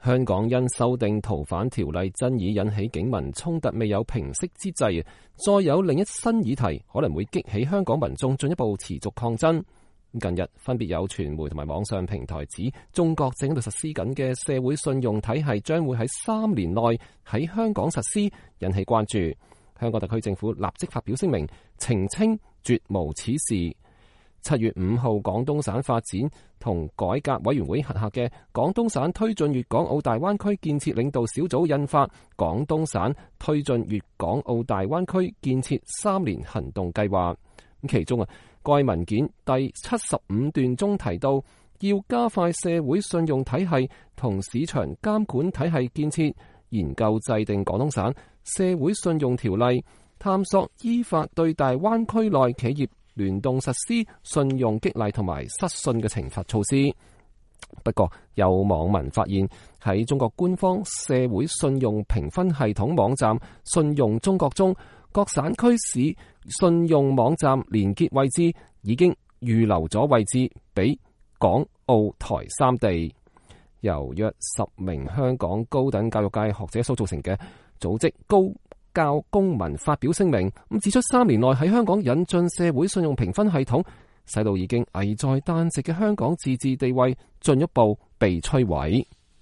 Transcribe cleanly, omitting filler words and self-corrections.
香港因修訂逃犯條例爭議引起警民衝突未有平息之際，再有另一新議題可能會激起香港民眾進一步持續抗爭。近日分別有傳媒同埋網上平台指，中國正喺度實施緊嘅社會信用體系將會喺3年內喺香港實施，引起關注。香港特區政府立即發表聲明澄清，絕無此事。7月5號，廣東省發展同改革委員會轄下嘅廣東省推進粵港澳大灣區建設領導小組印發《廣東省推進粵港澳大灣區建設3年行動計劃》。其中該文件第75段中提到，要加快社會信用體系同市場監管體系建設，研究制定廣東省社會信用條例，探索依法對大灣區內企業聯動實施信用激勵同埋失信嘅懲罰措施。不過，有網民發現喺中國官方社會信用評分系統網站信用中國中，各省區市信用網站連結位置已經預留咗位置俾港澳台3地。由約10名香港高等教育界學者所組成嘅組織高教公民發表聲明，咁指出3年內喺香港引進社會信用評分系統，使到已經危在旦夕嘅香港自治地位進一步被摧毀。